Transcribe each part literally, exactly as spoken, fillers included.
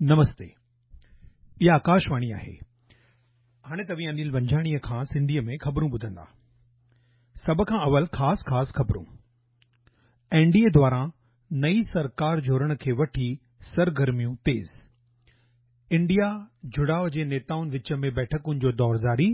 نمستي، اها آڪاشواڻي آهي. هاڻي توهين انيل ونجهاڻيء کان سنڌيء ۾ خبرون ٻڌندا. سڀ کان اول خاص خاص خبرون. اين ڊي اي دواران نئين سرڪار جوڙڻ کي وٺي سرگرميون تيز. انڊيا جڙاء جي نيتائن وچ ۾ بيٺڪن جو دور جاري.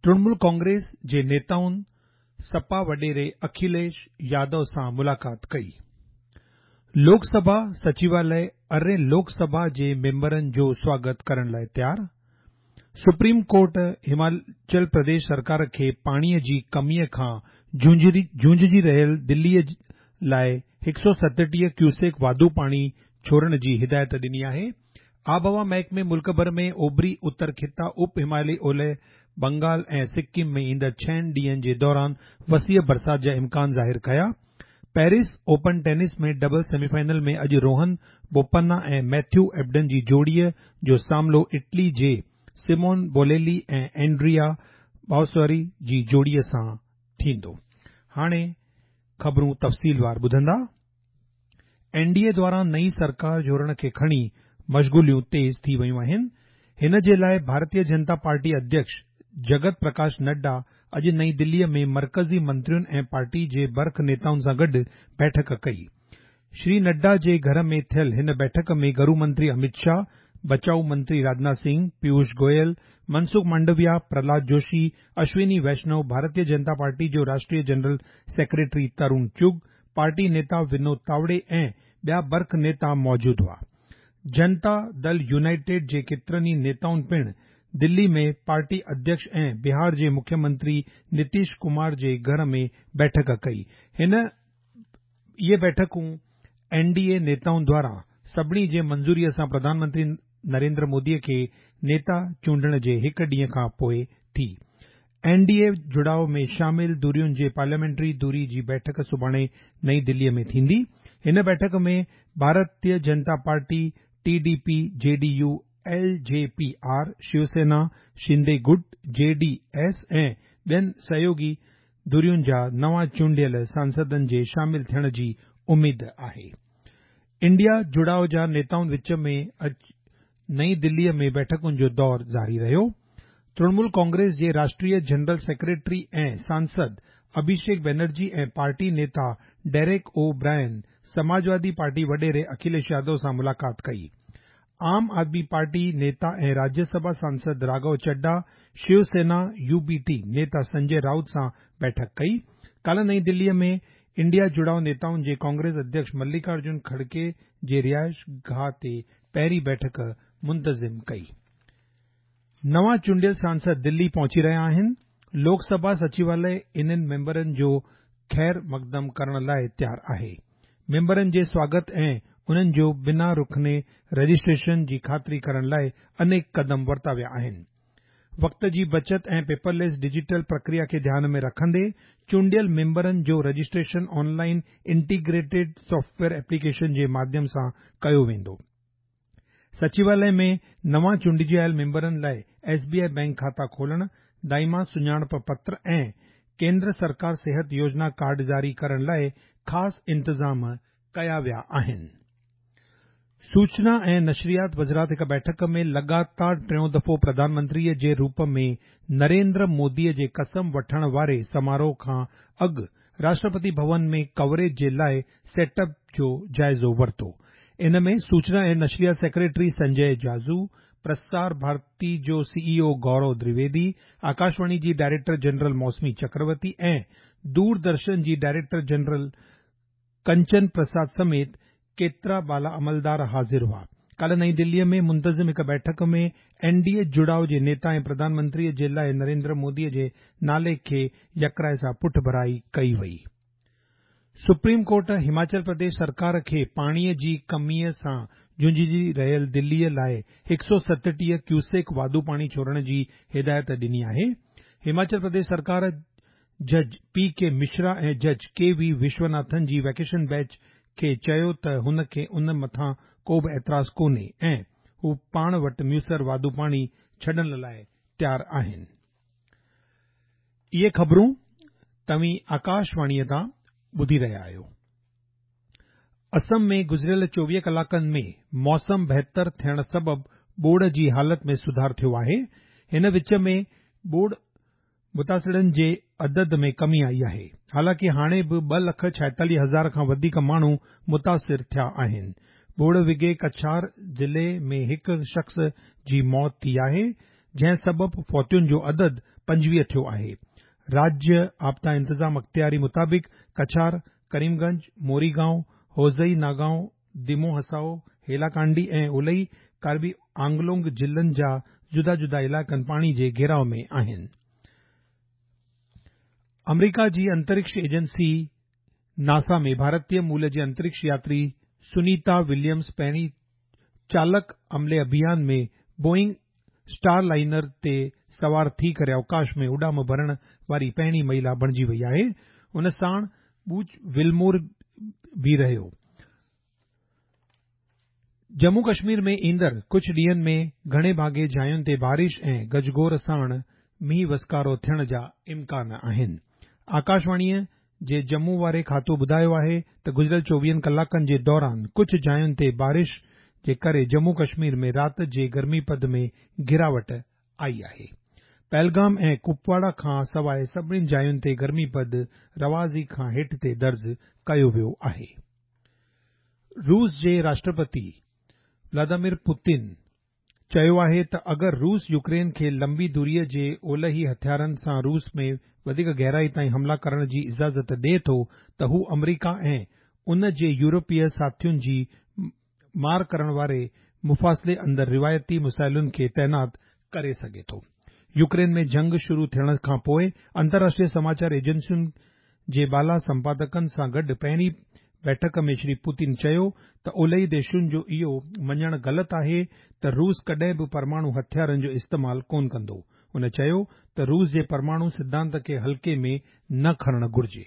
ترڻمول ڪانگريس جي نيتائن سپا وڏيري اکليش يادو سان ملاقات ڪئي. لوڪ سڀا سچواليه ارڙهين لوڪ سڀا جي ميمبرن جو سواگت ڪرڻ لاءِ تيار. سپريم ڪورٽ هماچل پرديش سرڪار کي پاڻيءَ جي ڪميءَ کان جهونجهي رهيل دليءَ لاءِ هڪ سؤ ستٽيهه ڪيوسڪ واڌو پاڻي ڇوڙڻ جي هدايت ڏني آهي. آبهوا محڪمي ملڪ ڀر ۾ اوڀري اتر خطا، اپ هماليه اولهه بنگال ۽ سڪم ۾ ايندڙ ڇهن ڏينهن جي دوران وسيع برسات جا امڪان ظاهر ڪيا. Paris open tennis ۾ double semi final ۾ اڄ روهن بوپنا ۽ ميٿيو ايبڊن جي جوڙيءَ جو سامنو اٽلي جي سمون بوليلي ۽ اينڊريا باوسوري جي جوڙيءَ سان ٿيندو. هاڻي خبرون تفصيلوار ٻڌندا. اين ڊي اي دواران نئين سرڪار جوڙڻ کي کڻي مشغوليون تيز ٿي ويون آهن. هن جي لاءِ ڀارتيه جنتا پارٽي اڌيڪش جگت پرڪاش نڊا اڄ نئين دليءَ ۾ مرڪزي منترين ۽ پارٽي جي برک نيتائن سان گڏ بيٺڪ ڪئي. شري نڊا جي گهر ۾ ٿيل هن بيٺڪ ۾ گهرو منتري امت شاهه، بچاءُ منتري راجناٿ سنگهه، پيوش گويل، منسک مانڊويا، پرهلاد جوشي، اشوني ويشنو، ڀارتيه جنتا پارٽي جو راشٽريه جنرل سيڪريٽري ترون چگ، پارٽي نيتا ونود تاوڙي ۽ ٻيا برک نيتا موجود هئا. جنتا دل يونائيٽيڊ جي ڪيترن ئي نيتائن پڻ دلي ۾ پارٽي اڌيڪش ۽ بهار جي مکيه منتري نتيش ڪمار جي گهر ۾ بيٺڪ ڪئي. هن اهي بيٺڪون اين ڊي اي نيتائن دواران سڀني جي منظوريءَ سان پرڌان منتري نريندر موديءَ کي نيتا چونڊڻ جي هڪ ڏينهن کان پوءِ ٿي. اين ڊي اي جڙاءُ ۾ شامل ڌرين جي پارليامينٽري ڌري جي بيٺڪ سڀاڻي نئين دليءَ ۾ ٿيندي. هن بيٺڪ ۾ ڀارتيه جنتا party, T D P, J D U, L J P R, Shiv Sena, Shinde گٽ، جي ڊي ايس ۽ ٻين سهيوڳي ڌرين جا نوان چونڊيل سانسدن جي شامل ٿيڻ جي اميد آهي. انڊيا جڙاءُ جا نيتائن وچ ۾ اڄ نئين دليءَ ۾ بيٺڪن جو دور جاري رهيو. ترڻمول ڪانگريس جي راشٽريه جنرل سيڪريٽري ۽ سانسد اڀيشيڪ بينرجي ۽ پارٽي نيتا ڊيريڪ او برائن سماجوادي پارٽي وڏيري اکليش يادو سان ملاقات ڪئي. عام آدمي پارٽي نيتا ۽ راجيه سڀا سانسد راگهو چڊا شيوسينا يو بي ٽي نيتا سنجي رائوت سان بيٺڪ ڪئي. ڪالهه نئين دليءَ ۾ انڊيا جڙاءُ نيتائن جي ڪانگريس اڌيڪش ملڪارجن کڙگي جي رهائش گاهه تي پهرين بيٺڪ منتظم ڪئي. نوان چونڊيل سانسد دلي پهچي رهيا آهن. لوڪ سڀا سچواليه انهن ميمبرن جو خير مقدم ڪرڻ لاءِ تيار آهي. ميمبرن جي سواگت ۽ انهن جو بنا رڪني رجسٽريشن جي خاطري ڪرڻ لاءِ انيڪ قدم ورتا ويا آهن. وقت جي بچت ۽ پيپرليس ڊجيٽل پرڪريا کي ڌيان ۾ رکندي چونڊيل ميمبرن جو registration online integrated software application جي ماڌيم سان ڪيو ويندو. سچواليه ۾ نوان چونڊجي آيل ميمبرن لاءِ ايس بي I bank کاتا کولڻ، دائما سڃاڻپ پتر ۽ ڪيندر سرڪار صحت يوجنا ڪارڊ جاري ڪرڻ لاءِ خاص انتظام ڪيا ويا آهن. سوچنا ۽ نشريات وزارت هڪ بيٺڪ ۾ لڳاتار ٽيون دفعو پرڌان منتريءَ جي روپ ۾ نريندر موديءَ جي قسم وٺڻ واري سماروهه کان اڳ راشٽرپتي ڀون ۾ ڪوريج جي لاءِ سيٽ اپ جو جائزو ورتو. ان ۾ سوچنا ۽ نشريات سيڪريٽري سنجي جاجو، پرسار ڀارتي جو سي اي او گورو دريويدي، آڪاشواڻي جي ڊائريڪٽر جنرل موسمي چڪروتي ۽ دوردرشن جي ڊائريڪٽر جنرل ڪنچن پرساد سميت ڪيترا بالا عملدار حاضر هئا. ڪالهه نئين دليءَ ۾ منتظم هڪ بيٺڪ ۾ اين ڊي اي جڙاءُ جي نيتا ۽ پرڌان منتريءَ جي لاءِ نريندر موديءَ جي نالي کي يڪراءِ سان پٺڀرائي ڪئي وئي. سپريم ڪورٽ هماچل پرديش سرڪار کي پاڻيءَ جي ڪميءَ سان جهونجهي رهيل دليءَ لاءِ هڪ سؤ ستٽيهه ڪيوسڪ واڌو پاڻي ڇوڙڻ جي هدايت ڏني آهي. هماچل پرديش سرڪار جج پي ڪي مشرا ۽ جج ڪي وي وشوناٿن جي ويڪيشن بينچ کي چيو ته هن کي ان مٿان ڪو به اعتراض ڪونهي ۽ هو پاڻ وٽ ميسر واڌو پاڻي ڇڏڻ لاءِ تيار آهن. اهي خبرون توهين آڪاشواڻيءَ تان ٻڌي رهيا آهيو. اسم ۾ گذريل چوويهه ڪلاڪن ۾ موسم بهتر ٿيڻ سبب ٻوڏ جي حالت ۾ سڌار ٿيو آهي. هن وچ ۾ ٻوڏ متاثرن جي عدد ۾ ڪمي آئي آهي. حالانڪه هاڻي به ٻه لک ڇائيتاليهه هزار کان وڌيڪ ماڻهو متاثر ٿيا آهن. ٻوڏ وگهي ڪڇار ضلعي ۾ هڪ شخص جي موت ٿي آهي، جنهن سبب فوتين جو عدد پنجويهه ٿيو آهي. راجيه آپدا انتظام اختياري مطابق ڪڇار، ڪريم گنج، موريگائون، هوزئي ناگائون، ديمو هسائو، هيلاڪانڊي ۽ اولهي ڪاربي آنگلونگ ضلعن جا جدا جدا علائقن پاڻي جي گهيراء ۾ آهن. آمريڪا جي انترڪش ايجنسي ناسا ۾ ڀارتي مول جي انترڪش ياتري سنيتا وليمز پهرين چالڪ عملي اڀيان ۾ بوئنگ اسٽار لائنر تي سوار ٿي ڪري اوڪاش ۾ اڏام ڀرڻ واري پهرين مهلا بڻجي وئي آهي. ان ساڻ بوچ ولمور به رهيو. ڄمون ڪشمير ۾ ايندڙ ڪجهه ڏينهن ۾ گهڻي ڀاڱي جاين تي بارش ۽ گجگوڙ ساڻ مينهن وسڪارو ٿيڻ جا امڪان آهن. آڪاشواڻيء جي ڄمون واري کاتو ٻڌايو آهي ته گذريل چوويهن ڪلاڪن جي دوران ڪجهه جاين تي بارش جي ڪري ڄمون ڪشمير ۾ رات جي گرمي پد ۾ گراوٽ آئي آهي. پهلگام ۽ ڪپواڙا کان سواءِ سڀني جاين تي گرمي پد رواجي کان هيٺ تي درج ڪيو ويو آهي. روس جي راشٽرپتي ولاديمير پوتن چيو آهي ته اگر روس يوڪرين کي لمبي دوريءَ جي اولهي هٿيارن سان روس ۾ وڌيڪ گهرائي تائين حملا ڪرڻ جي اجازت ڏئي ٿو ته هو آمريڪا ۽ ان جي يورپي ساٿين جي مار ڪرڻ واري مفاصلي اندر روايتي مسائلن کي تعينات ڪري سگهي ٿو. يوڪرين ۾ جنگ شروع ٿيڻ کان پوءِ انترراشٽريه سماچار ايجنسين جي بالا سمپادڪن سان گڏ پهرين بيٺڪ ۾ شري پوتن چيو ته اولهي ديشن جو اهو مڃڻ غلط آهي ته روس ڪڏهن به پرماڻو هٿيارن جو استعمال ڪونه ڪندو. هن چيو ته روس جي پرماڻو سڌانت کي هلڪي ۾ نه کڻڻ گهرجي.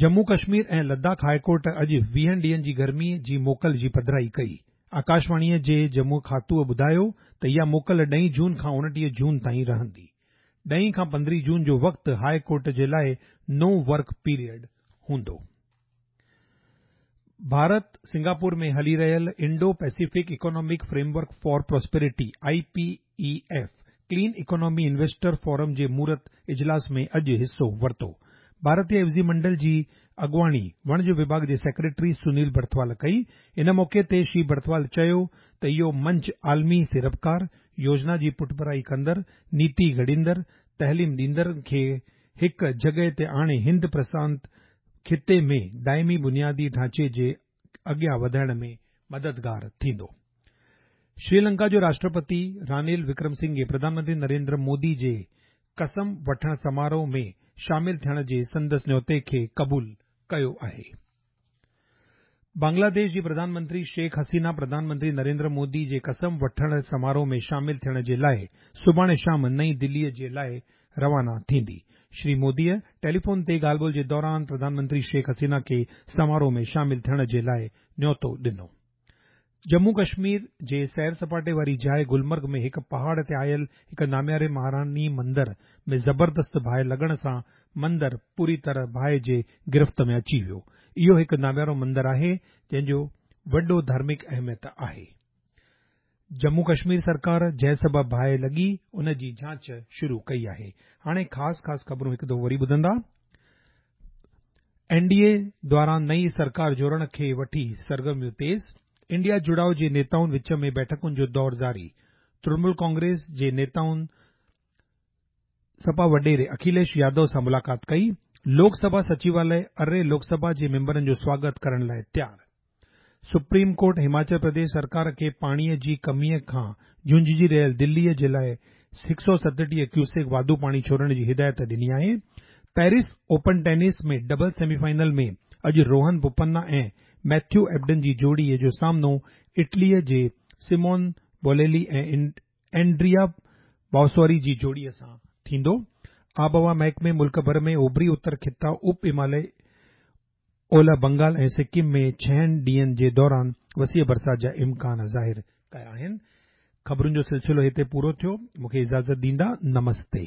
ڄمون ڪشمير ۽ لداخ هاءِ ڪورٽ اڄ ويهن ڏينهن جي گرمي جي موڪل جي پڌرائي ڪئي. آڪاشواڻيءَ جي ڄمون کاتوءَ ٻڌايو ته اها موڪل ڏهين جون کان اڻٽيهه جون تائين رهندي. ڏهين کان پندرهين جون جو وقت هاءِ ڪورٽ جي لاءِ نو ورڪ پيريڊ هوندو. ڀارت سنگاپور ۾ هلي رهيل Indo Pacific economic framework for prosperity I P E F clean economy investor forum جي مهورت اجلاس ۾ اڄ حصو ورتو. ڀارتيه عيوضي منڊل جي اڳواڻي وڻج وڀاڳ جي سيڪريٽري سنيل برٿوال ڪئي. ان موقعي تي شري برٿوال چيو ته اهو منچ عالمي سيڙپڪار، يوجنا جي پٺڀرائي ڪندڙ، نيتي گهڙيندڙ، تعليم ڏيندڙن کي هڪ جڳهه تي آڻي هند پرشانت خطي ۾ دائمي بنيادي ڍانچي جي اڳيان وڌائڻ ۾ مددگار ٿيندو. شري لنڪا جو راشٽرپتي رانيل وڪرم سنگهي پرڌان منتري نريندر مودي جي قسم وٺڻ سماروهه ۾ شامل ٿيڻ جي سندس نيوتي کي قبول ڪيو آهي. بنگلاديش جي پرڌان منتري شيخ حسينه پرڌان منتري نريندر مودي جي قسم وٺڻ سماروهه ۾ شامل ٿيڻ جي لاءِ سڀاڻي شام نئين دليءَ جي لاءِ روانا ٿيندي. شري موديءَ ٽيليفون تي ڳالهه ٻولهه جي دوران پرڌان منتري شيخ حسينه کي سماروهه ۾ شامل ٿيڻ جي لاءِ نيوتو ڏنو. ڄمون ڪشمير جي سير سپاٽي واري جاءِ گلمرگ ۾ هڪ پهاڙ تي آيل هڪ نامياري مهاراني مندر ۾ زبردست باهه لڳڻ سان مندر پوري طرح باهه جي گرفت ۾ اچي ويو. اهو هڪ ناميارو مندر آهي جنهن جو وڏو ڌارمڪ اهميت آهي. ڄمون ڪشمير سرڪار جنهن سبب باهه لڳي ان جي جاچ شروع ڪئي آهي. هاڻي خاص خاص خبرون هڪ دفعو وري ٻڌندا. اين ڊي اي دواران نئين سرڪار جوڙڻ کي وٺي سرگرميون تيز. انڊيا جڙاءُ جي نيتائن وچ ۾ بيٺڪن جو دور جاري. ترڻمول ڪانگريس جي نيتائن سپا وڏيري اکليش يادو سان ملاقات ڪئي. لوڪ سڀا سچواليه اري لوڪ سڀا جي ميمبرن جو سواگت ڪرڻ لاءِ تيار. سپريم ڪورٽ هماچل پرديش سرڪار کي پاڻيءَ جي ڪميءَ کان جهونجهي رهيل دليءَ جي لاءِ هڪ سؤ ستٽيهه ڪيوسڪ واڌو پاڻي ڇوڙڻ جي هدايت ڏني آهي. Paris open tennis ۾ double semi final ۾ اڄ روهن بوپنا ۽ ميٿيو ايبڊن جي جوڙيءَ جو سامنو اٽليءَ جي سمون بوليلي ۽ اينڊريا باوسوري جي جوڙيءَ سان ٿيندو. آبهوا محڪمي ملڪ ڀر ۾ اوڀري اتر خطا، اپ هماليه، اولهه بنگال ۽ سڪم ۾ ڇهن ڏينهن جي دوران وسيع برسات جا امڪان ظاهر ڪيا آهن. خبرن جو سلسلو هتي پورو ٿيو. مون کي اجازت ڏيندا. نمستي.